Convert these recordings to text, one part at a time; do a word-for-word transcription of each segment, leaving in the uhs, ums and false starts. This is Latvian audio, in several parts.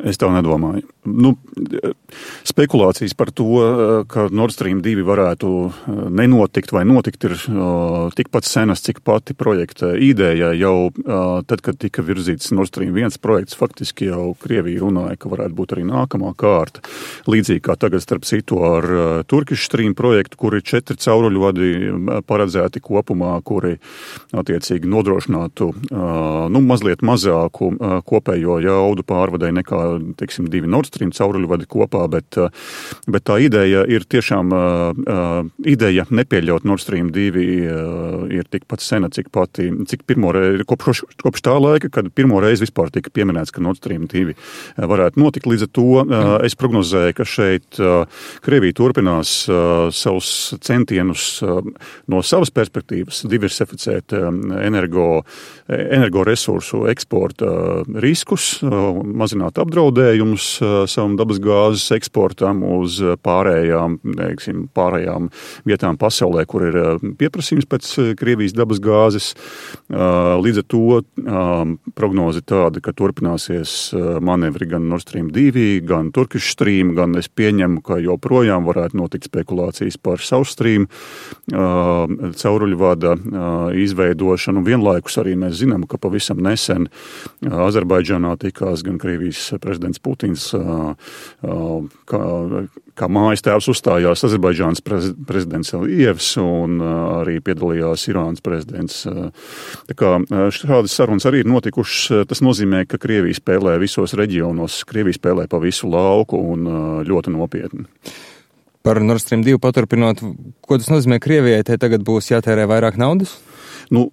Es tā nedomāju. Nu, spekulācijas par to, ka Nord Stream divi varētu nenotikt vai notikt, ir tikpat senas, cik pati projekta ideja. Jau tad, kad tika virzīts Nord Stream viens projekts, faktiski jau Krievija runāja, ka varētu būt arī nākamā kārta. Līdzīgi kā tagad starp citu ar Turkish Stream projektu, kur ir četri cauruļvadi paredzēti kopumā, kuri attiecīgi nodrošinātu nu, mazliet mazāku kopējo jaudu pārvadai nekā, teiksim, divi Nord Stream cauruļvadi kopā, bet, bet tā ideja ir tiešām ideja nepieļaut Nord Stream divi ir tikpat sena, cik pati, cik pirmo reizi, kopš, kopš tā laika, kad pirmo reizi vispār tika pieminēts, ka Nord Stream divi varētu notikt. Līdz ar to es prognozēju, ka šeit Krievija turpinās savus centienus no savas perspektīvas diversificēt energo, energoresursu eksporta riskus, mazināt apdraudējumus savam dabas gāzes eksportam uz pārējām, teiksim, pārējām vietām pasaulē, kur ir pieprasījums pēc Krievijas dabas gāzes. Līdz ar to prognozi tāda, ka turpināsies manevri gan Nord Stream divi, gan Turkish Stream, gan es pieņemu, ka joprojām varētu notikt spekulācijas par South Stream cauruļvada izveidošanu. Vienlaikus arī mēs zinām, ka pavisam nesen Azerbaidžānā tikās gan Krievijas prezidents Putins, kā, kā mājas tēvs uzstājās Azerbaidžānas prezidents Alijevs un arī piedalījās Irānas prezidents. Tā kā šādas sarunas arī ir notikušas. Tas nozīmē, ka Krievija spēlē visos reģionos, Krievija spēlē pa visu lauku un ļoti nopietni. Par Nord Stream divi paturpinot, ko tas nozīmē Krievijai? Te tagad būs jātērē vairāk naudas? Nu,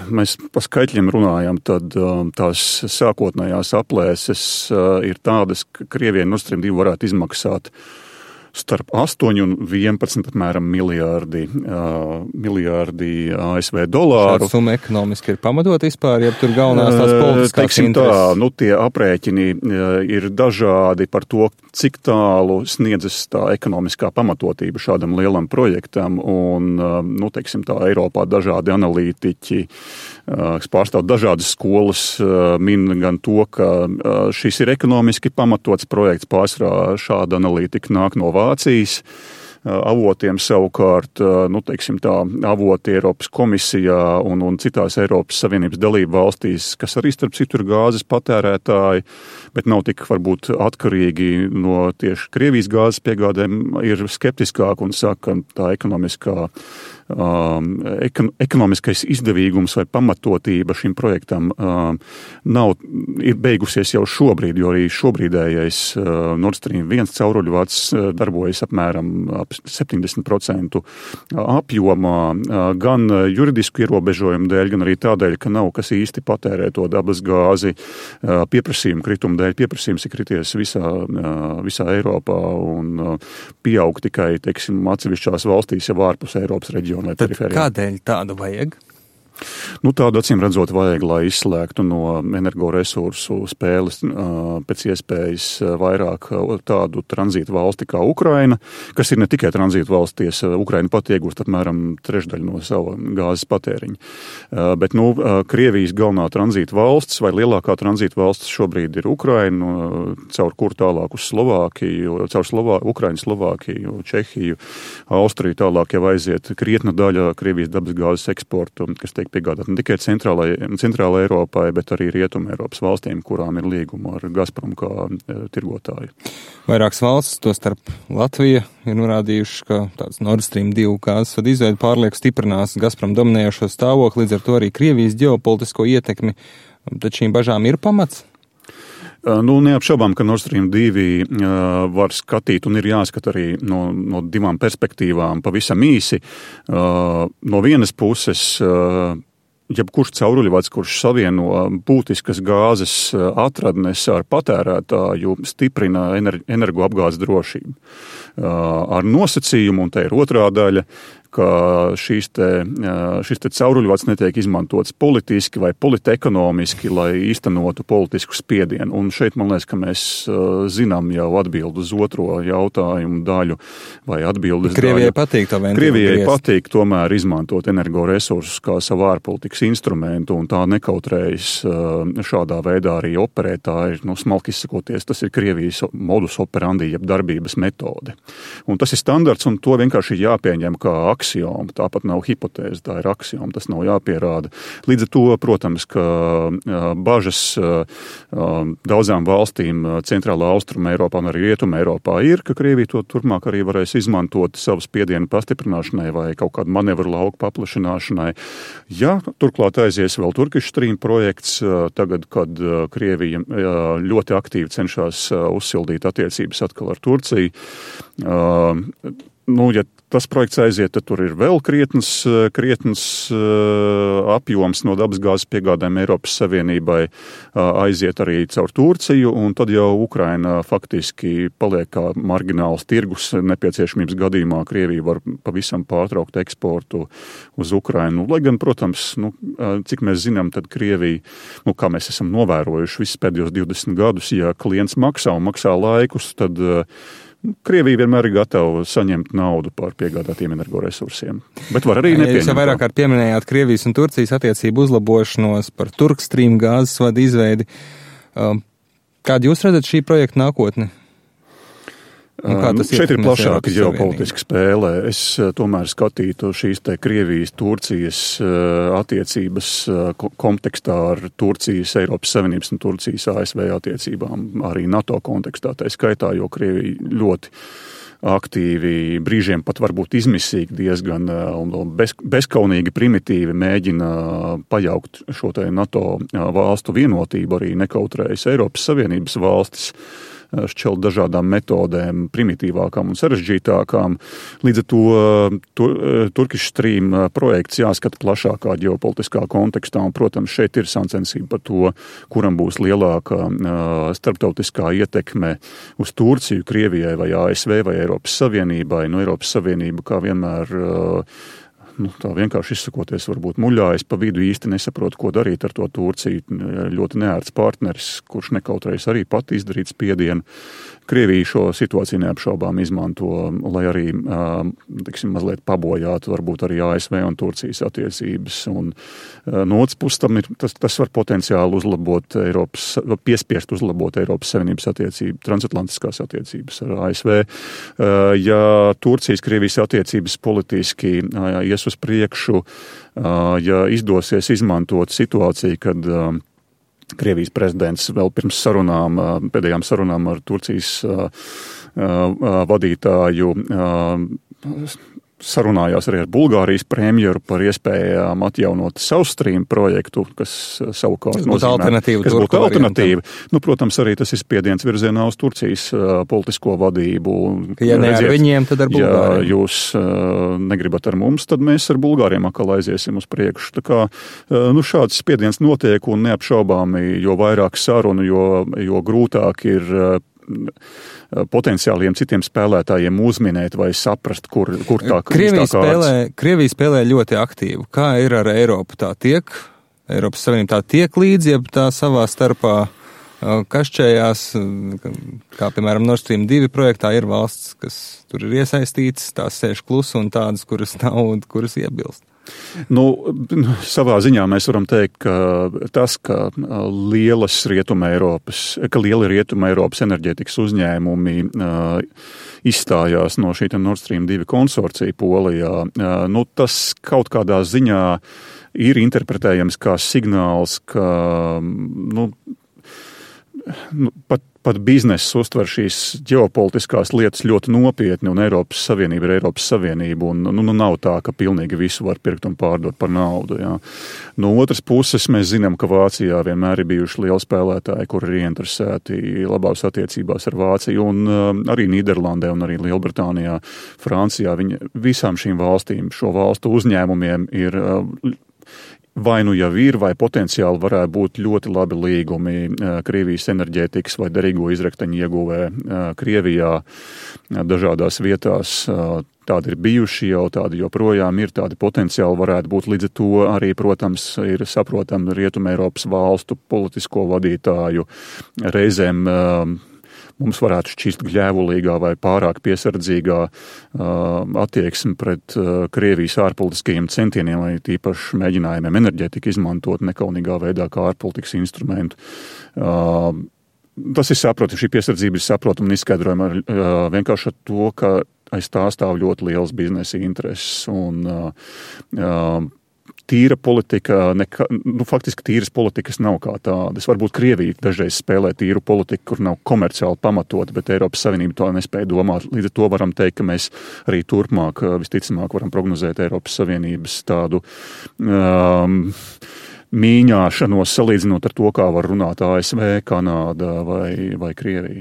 mēs pa skaitļiem runājam, tad tās sākotnējās aplēses ir tādas, ka Krievijai Nord Stream divi varētu izmaksāt starp astoņi un vienpadsmit apmēram miljārdi, uh, miljārdi A S V dolāru. Šāda summa ekonomiski ir pamatot vispār, ja tur galvenās tās politiskās Teiksim intereses? Tā, nu tie aprēķini ir dažādi par to, cik tālu sniedzas tā ekonomiskā pamatotība šādam lielam projektam, un, nu, teiksim tā, Eiropā dažādi analītiķi, kas pārstāv dažādas skolas, min gan to, ka šis ir ekonomiski pamatots projekts, pārsvarā šāda analītika nāk no Vācijas avotiem, savukārt, nu, teiksim tā, avoti Eiropas komisijā un, un citās Eiropas Savienības dalību valstīs, kas arī starp citu ir gāzes patērētāji, bet nav tik varbūt atkarīgi no tieši Krievijas gāzes piegādēm, ir skeptiskāk un saka, ka tā ekonomiskā Um, ekon, ekonomiskais izdevīgums vai pamatotība šim projektam um, nav, ir beigusies jau šobrīd, jo arī šobrīdējais uh, Nord Stream viens cauruļvads uh, darbojas apmēram ap septiņdesmit procentu apjomā, uh, gan juridisku ierobežojumu dēļ, gan arī tādēļ, ka nav kas īsti patērē to dabas gāzi uh, pieprasījumu kritumu dēļ. Pieprasījums ir krities visā, uh, visā Eiropā un uh, pieaug tikai, teiksim, atsevišķās valstīs jau ārpus Eiropas reģiona. Tad kādēļ tādu vajag? Nu, tādu acīm redzot vajag, lai izslēgtu no energoresursu spēles pēc iespējas vairāk tādu tranzītu valsti kā Ukraina, kas ir ne tikai tranzītu valsties, Ukraina pat iegūst apmēram trešdaļu no sava gāzes patēriņa. Bet, nu, Krievijas galvenā tranzītu valsts vai lielākā tranzītu valsts šobrīd ir Ukraina, caur kur tālāk uz Slovākiju, caur Slovā, Ukrainu, Slovākiju, Čehiju, Austriju tālāk jau aiziet krietna daļa Krievijas dabas gāzes eksportu, kas tiek piegādāt ne tikai centrālajai Eiropai, bet arī Rietuma Eiropas valstīm, kurām ir līguma ar Gazprom kā e, tirgotāju. Vairākas valstis, to starp Latvija, ir norādījuši, ka tāds Nord Stream divi gāzes vada izveide pārlieku stiprinās Gazprom dominējošo stāvokli, līdz ar to arī Krievijas ģeopolitisko ietekmi. Tad šīm bažām ir pamats? Nu, neapšaubām, ka Nord Stream divi uh, var skatīt un ir jāskat arī no, no divām perspektīvām pavisam īsi. Uh, no vienas puses, uh, jebkurš cauruļvads, kurš savieno būtiskas gāzes atradnes ar patērētāju, stiprina energoapgādes drošību. Ar nosacījumu, un te ir otrā daļa, ka šīs te, šis te cauruļvads netiek izmantots politiski vai politekonomiski, lai īstenotu politisku spiedienu. Un šeit man liekas, ka mēs zinām jau atbildi uz otro jautājumu daļu vai atbildes daļu. Krievijai patīk tā ventilu Krievijai griezt. patīk tomēr izmantot energoresursus kā savu ārpolitikas instrumentu, un tā nekautrējas šādā veidā arī operēt. Tā ir, nu, smalki izsakoties, tas ir Krievijas modus operandi, jeb darbības metode. Un tas ir standarts, un to vienkārši ir jāpieņem kā aksioma. Tāpat nav hipotēze, tā ir aksioma, tas nav jāpierāda. Līdz ar to, protams, ka bažas daudzām valstīm centrālā austruma Eiropā un arī rietuma Eiropā ir, ka Krievija to turpmāk arī varēs izmantot savu spiedienu pastiprināšanai vai kaut kādu manevru lauku paplašināšanai. Ja turklāt aizies vēl Turkish Stream projekts, tagad, kad Krievija ļoti aktīvi cenšas uzsildīt attiecības atkal ar Turciju. Nu, ja tas projekts aiziet, tad tur ir vēl krietns, krietns apjoms no dabasgāzes piegādēm Eiropas Savienībai aiziet arī caur Turciju, un tad jau Ukraina faktiski paliek kā margināls tirgus. Nepieciešamības gadījumā Krievija var pavisam pārtraukt eksportu uz Ukrainu. Lai gan, protams, nu, cik mēs zinām, tad Krievija, nu, kā mēs esam novērojuši visus pēdējos divdesmit gadus, ja klients maksā un maksā laikus, tad Krievija vienmēr ir gatava saņemt naudu par piegādātiem energoresursiem, bet var arī nepieņemt. Jūs jau vairāk kārt pieminējāt Krievijas un Turcijas attiecību uzlabošanos, par Turkstream gāzes vadu izveidi. Kādu jūs redzat šī projekta nākotni? Nu, šeit ir plašāka ģeopolitiska spēle. Es tomēr skatītu šīs te Krievijas, Turcijas attiecības kontekstā ar Turcijas, Eiropas Savienības un Turcijas A S V attiecībām, arī NATO kontekstā, tā skaitā, jo Krievija ļoti aktīvi, brīžiem pat varbūt izmisīgi diezgan un bez, bezkaunīgi primitīvi mēģina pajaukt šo te NATO valstu vienotību, arī nekautrējas Eiropas Savienības valstis šķelt dažādām metodēm, primitīvākām un sarežģītākām. Līdz ar to tur, Turkish Stream projekts jāskata plašākā ģeopolitiskā kontekstā, un, protams, šeit ir sacensība par to, kuram būs lielāka starptautiskā ietekme uz Turciju, Krievijai vai A S V vai Eiropas Savienībai. No Eiropas Savienība kā vienmēr nu, tā vienkārši izsakoties, varbūt muļājas pa vidu, īsti nesaprot, ko darīt ar to Turciju. Ļoti neērts partneris, kurš nekautrējas arī pat izdarīt spiedienu. Krievija šo situāciju neapšaubām izmanto, lai arī, teiksim, mazliet pabojātu varbūt arī A S V un Turcijas attiecības. Un no otras puses tam ir, tas, tas var potenciāli uzlabot Eiropas, piespiest uzlabot Eiropas Savienības attiecību, transatlantiskās attiecības ar A S V. Ja Turcijas, Krievijas attiecības politiski ies uz priekšu, ja izdosies izmantot situāciju, kad Krievijas prezidents vēl pirms sarunām, pēdējām sarunām ar Turcijas vadītāju sarunājās arī ar Bulgārijas premjeru par iespējām atjaunot South Stream projektu, kas savukārt nozīmē, kas būtu alternatīva. Nu, protams, arī tas ir spiediens virzienā uz Turcijas uh, politisko vadību. Ja ne ar viņiem, tad ar Bulgāriem. Ja jūs uh, negribat ar mums, tad mēs ar Bulgāriem atkal aiziesim uz priekšu. Tā kā, uh, nu, šāds spiediens notiek un neapšaubāmi, jo vairāk sarunu, jo, jo grūtāk ir uh, potenciāliem citiem spēlētājiem uzminēt vai saprast, kur, kur tā Krievija spēlē, Krievija spēlē ļoti aktīvu. Kā ir ar Eiropu? Tā tiek, Eiropas Savienība tā tiek līdzi, ja tā savā starpā kašķējās, kā piemēram Nord Stream divi projektā ir valsts, kas tur ir iesaistīts, tās sēž klusu un tādas, kuras nav un kuras iebilst. Nu, savā ziņā mēs varam teikt, ka tas, ka lielas Rietuma Eiropas, ka lieli Rietuma Eiropas enerģētikas uzņēmumi uh, izstājās no šī Nord Stream divi konsorcija Polijā, uh, nu, tas kaut kādā ziņā ir interpretējams kā signāls, ka, nu, nu pat Pat bizness uztver šīs ģeopolitiskās lietas ļoti nopietni, un Eiropas Savienība ir Eiropas Savienība, un nu, nu, nav tā, ka pilnīgi visu var pirkt un pārdot par naudu. Jā. No otras puses, mēs zinām, ka Vācijā vienmēr ir bijuši lieli spēlētāji, kuri ir ieinteresēti labās attiecībās ar Vāciju, un uh, arī Nīderlandē un arī Lielbritānijā, Francijā. Viņi, visām šīm valstīm, šo valstu uzņēmumiem ir uh, vai nu jau ir, vai potenciāli varētu būt ļoti labi līgumi Krievijas enerģētikas vai derīgo izrakteņu ieguvē Krievijā dažādās vietās. tādi ir bijuši, jau tādi joprojām ir, tādi potenciāli varētu būt. Līdz ar to arī, protams, ir saprotami Rietumē Eiropas valstu politisko vadītāju reizēm mums varētu šķist gļēvulīgā vai pārāk piesardzīgā attieksme pret Krievijas ārpolitiskajiem centieniem vai tīpaši mēģinājumiem enerģētiku izmantot nekaunīgā veidā kā ārpolitikas instrumentu. Tas ir saprotami, šī piesardzība ir saprotama un izskaidrojama ar, vienkārši ar to, ka aiz tā stāv ļoti liels biznesa intereses un tīra politika, neka, nu, faktiski tīras politikas nav kā tādas. Varbūt Krievija dažreiz spēlē tīru politiku, kur nav komerciāli pamatot, bet Eiropas Savienība to nespēja domāt. Līdz ar to varam teikt, ka mēs arī turpmāk, visticamāk, varam prognozēt Eiropas Savienības tādu um, mīņāšanos, salīdzinot ar to, kā var runāt A S V, Kanāda vai, vai Krievija.